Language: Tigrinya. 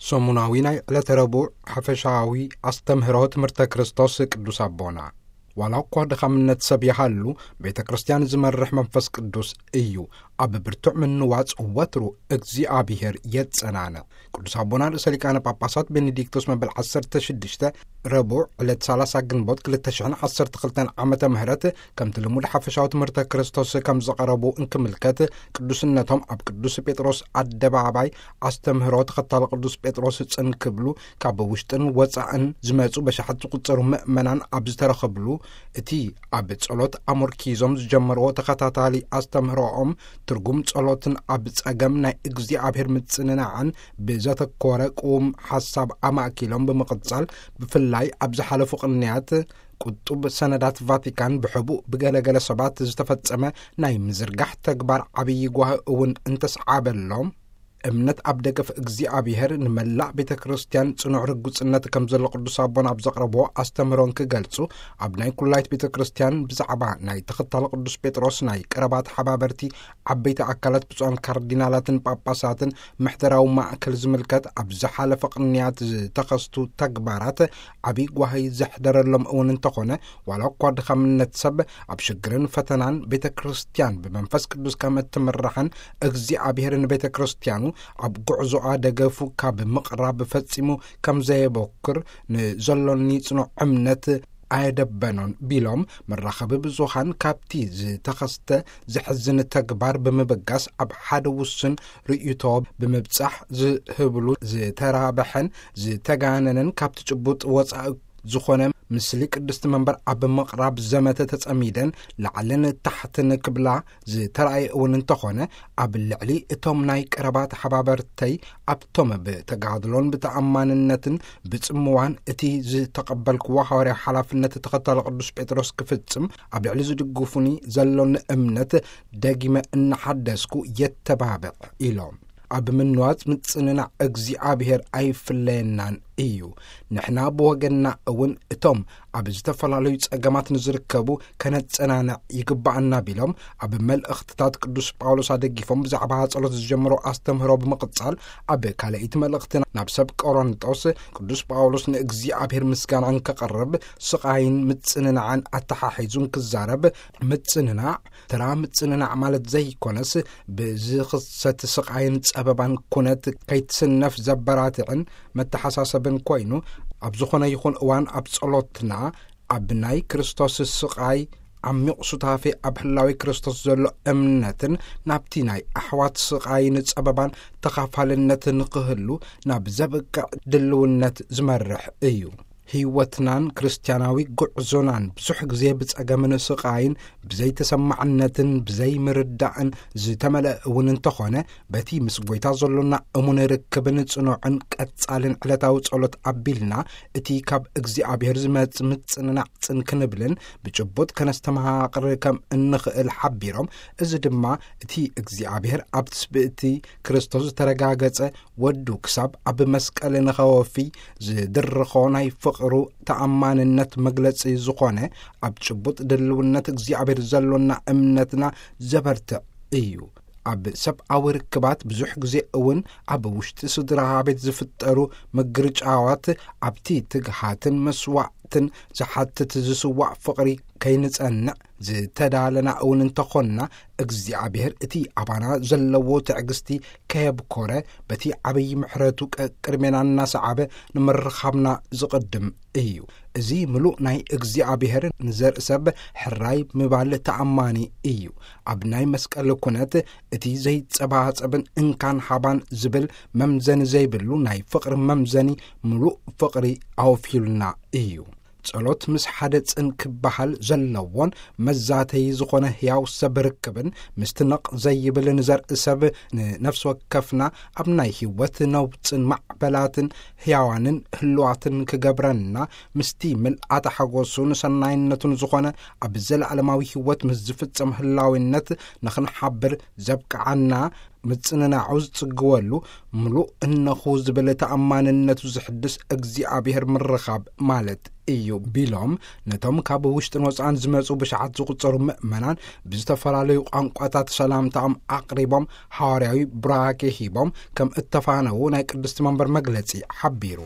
ሰሙናዊ ናይ ዕለተ ረቡዕ ሓፈሻዊ ኣስተምህሮ ትምህርተ ክርስቶስ ቅዱስ ኣቦና፣ ዋላ እኳ ድኻምነት ሰብ ይሃሉ፣ ቤተ ክርስቲያን ዝመርሕ መንፈስ ቅዱስ እዩ። ኣብ ብርቱዕ ምንዋጽ ወትሩ እግዚኣብሔር የጸናንዕ። ቅዱስ ኣቦና ርእሰ ሊቃነ ጳጳሳት ቤኔዲክቶስ መበል ዓሰርተ ሽዱሽተ ረቡዕ ዕለት ሰላሳ ግንቦት ክልተ ሽሕን ዓሰርተ ክልተን ዓመተ ምህረት ከምቲ ልሙድ ሓፈሻዊ ትምህርተ ክርስቶስ ከም ዘቐረቡ እንክምልከት፣ ቅዱስነቶም ኣብ ቅዱስ ጴጥሮስ ኣደባባይ ኣስተምህሮ ተኸታሊ ቅዱስ ጴጥሮስ ጽን ክብሉ ካብ ውሽጥን ወጻእን ዝመጹ በሽሓት ዝቁጸሩ ምእመናን ኣብ ዝተረኸብሉ፣ እቲ ኣብ ጸሎት ኣሞርኪዞም ዝጀመርዎ ተኸታታሊ ኣስተምህሮኦም ትርጉም ጸሎትን ኣብ ጸገም ናይ እግዚኣብሔር ምጽንናዕን ብዘተኮረ ቅዉም ሓሳብ ኣማእኪሎም ብምቕጻል፣ ብፍላይ ኣብ ዝሓለፉ ቅንያት ቁጡብ ሰነዳት ቫቲካን ብሕቡእ ብገለገለ ሰባት ዝተፈጸመ ናይ ምዝርጋሕ ተግባር ዓብዪ ጓሂ እውን እንተስዓበሎም፣ እምነት ኣብ ደገፍ እግዚኣብሔር ንመላእ ቤተ ክርስቲያን ጽኑዕ ርጉጽነት ከም ዘሎ ቅዱስ ኣቦና ኣብ ዘቕረብዎ ኣስተምህሮን ክገልጹ፣ ኣብ ናይ ኩላይት ቤተ ክርስቲያን ብዛዕባ ናይ ተኸታሊ ቅዱስ ጴጥሮስ ናይ ቀረባ ተሓባበርቲ ዓበይቲ ኣካላት ብፁዓን ካርዲናላትን ጳጳሳትን ምሕደራዊ ማእከል ዝምልከት ኣብ ዝሓለፈ ቅንያት ዝተኸስቱ ተግባራት ዓብዪ ጓሂ ዘሕደረሎም እውን እንተኾነ፣ ዋላ እኳ ድኻምነት ሰብ ኣብ ሽግርን ፈተናን ቤተ ክርስቲያን ብመንፈስ ቅዱስ ከም እትምራሕን እግዚኣብሔር ንቤተ ክርስቲያኑ ኣብ ጉዕዞኣ ደገፉ ካብ ምቕራብ ፈጺሙ ከም ዘየበኩር፣ ንዘሎኒ ጽኑዕ እምነት ኣየደበኖን ቢሎም፣ መራኸቢ ብዙሃን ካብቲ ዝተኸስተ ዘሕዝን ተግባር ብምብጋስ ኣብ ሓደ ውሱን ርእይቶ ብምብጻሕ ዝህብሉ ዝተራብሐን ዝተጋነነን ካብቲ ጭቡጥ ወጻኢ ዝኾነ ምስሊ ቅድስቲ መንበር ኣብ ምቕራብ ዘመተ ተጸሚደን ላዕልን ታሕትን ክብላ ዝተራእየ እውን እንተኾነ፣ ኣብ ልዕሊ እቶም ናይ ቀረባ ተሓባበርተይ ኣብቶም ብተጋድሎን ብተኣማንነትን ብጽምዋን እቲ ዝተቐበልክዎ ሃዋርያዊ ሓላፍነት ተኸታሊ ቅዱስ ጴጥሮስ ክፍጽም ኣብ ልዕሊ ዝድግፉኒ ዘሎኒ እምነት ደጊመ እናሓደስኩ የተባብዕ ኢሎም። ኣብ ምንዋጽ ምጽንናዕ እግዚኣብሔር ኣይፍለየናን እዩ። ንሕና ብወገንና እውን እቶም ኣብ ዝተፈላለዩ ጸገማት ንዝርከቡ ከነጸናንዕ ይግባኣና ቢሎም፣ ኣብ መልእኽትታት ቅዱስ ጳውሎስ ኣደጊፎም ብዛዕባ ጸሎት ዝጀመሮ ኣስተምህሮ ብምቕጻል፣ ኣብ ካልኣይቲ መልእኽትና ናብ ሰብ ቆሮንጦስ ቅዱስ ጳውሎስ ንእግዚኣብሔር ምስጋና እንከቕርብ ስቓይን ምጽንናዕን ኣተሓሒዙ እንክዛረብ፣ ምጽንናዕ ተራ ምጽንናዕ ማለት ዘይኮነስ፣ ብዝኽሰት ስቓይን ጸበባን ኩነት ከይትስነፍ ዘበራትዕን መተሓሳሰብን ኮይኑ፣ ኣብ ዝኾነ ይኹን እዋን ኣብ ጸሎትና ኣብ ናይ ክርስቶስ ስቓይ ዓሚቕ ሱታፌ ኣብ ህላዊ ክርስቶስ ዘሎ እምነትን ናብቲ ናይ ኣሕዋት ስቓይን ጸበባን ተኻፋልነት ንኽህሉ ናብ ዘብቅዕ ድልውነት ዝመርሕ እዩ። ህይወትናን ክርስትያናዊ ጉዕዞናን ብዙሕ ግዜ ብጸገምን ስቓይን ብዘይተሰማዕነትን ብዘይምርዳእን ዝተመልአ እውን እንተኾነ፣ በቲ ምስ ጐይታ ዘሎና እሙን ርክብን ጽኑዕን ቀጻልን ዕለታዊ ጸሎት ኣቢልና፣ እቲ ካብ እግዚኣብሔር ዝመጽእ ምጽንናዕ ጽን ክንብልን ብጭቡጥ ከነስተማቕር ከም እንኽእል ሓቢሮም፣ እዚ ድማ እቲ እግዚኣብሔር ኣብ ትስብእቲ ክርስቶስ ዝተረጋገጸ ወዱ ክሳብ ኣብ መስቀል ንኸወፊ ዝድርኾ ናይ ፍቕሩ ተኣማንነት መግለጺ ዝኾነ፣ ኣብ ጭቡጥ ድልውነት እግዚኣብሔር ዘሎና እምነትና ዘበርትዕ እዩ። ኣብ ሰብኣዊ ርክባት ብዙሕ ግዜ እውን ኣብ ውሽጢ ስድራ ቤት ዝፍጠሩ ምግርጫዋት ኣብቲ ትግሃትን መስዋዕትን ዝሓትት ዝስዋዕ ፍቕሪ ከይንጸንዕ ዝተዳለና እውን እንተኾንና፣ እግዚኣብሔር እቲ ኣባና ዘለዎ ትዕግስቲ ከየብኮረ፣ በቲ ዓብዪ ምሕረቱ ቀቅድሜና እናሰዓበ ንምርኻብና ዝቕድም እዩ። እዚ ምሉእ ናይ እግዚኣብሔር ንዘርኢ ሰብ ሕራይ ምባል ተኣማኒ እዩ። ኣብ ናይ መስቀል ኩነት እቲ ዘይጸባጸብን እንካን ሃባን ዝብል መምዘኒ ዘይብሉ ናይ ፍቕሪ መምዘኒ ምሉእ ፍቕሪ ኣወፊሉና እዩ። ጸሎት ምስ ሓደ ጽን ክበሃል ዘለዎን መዛተዪ ዝኾነ ሕያው ሰብ ርክብን ምስቲ ነቕ ዘይብል ንዘርኢ ሰብ ንነፍሲ ወከፍና ኣብ ናይ ህይወት ነውጽን ማዕበላትን ሕያዋንን ህልዋትን ክገብረና፣ ምስቲ ምልኣተ ሓጎሱን ሰናይነቱን ዝኾነ ኣብ ዘለዓለማዊ ህይወት ምስ ዝፍጸም ህላዊነት ንኽንሓብር ዘብቅዓና ምጽንናዑ ዝጽግወሉ፣ ምሉእ እነኹ ዝብል ተኣማንነቱ ዝሕድስ እግዚኣብሔር ምርኻብ ማለት እዩ ቢሎም፣ ነቶም ካብ ውሽጥን ወጻእን ዝመጹ ብሽዓት ዝቁጸሩ ምእመናን ብዝተፈላለዩ ቋንቋታት ሰላምታኦም ኣቕሪቦም፣ ሓዋርያዊ ብራኬ ሂቦም ከም እተፋነዉ ናይ ቅድስቲ መንበር መግለጺ ሓቢሩ።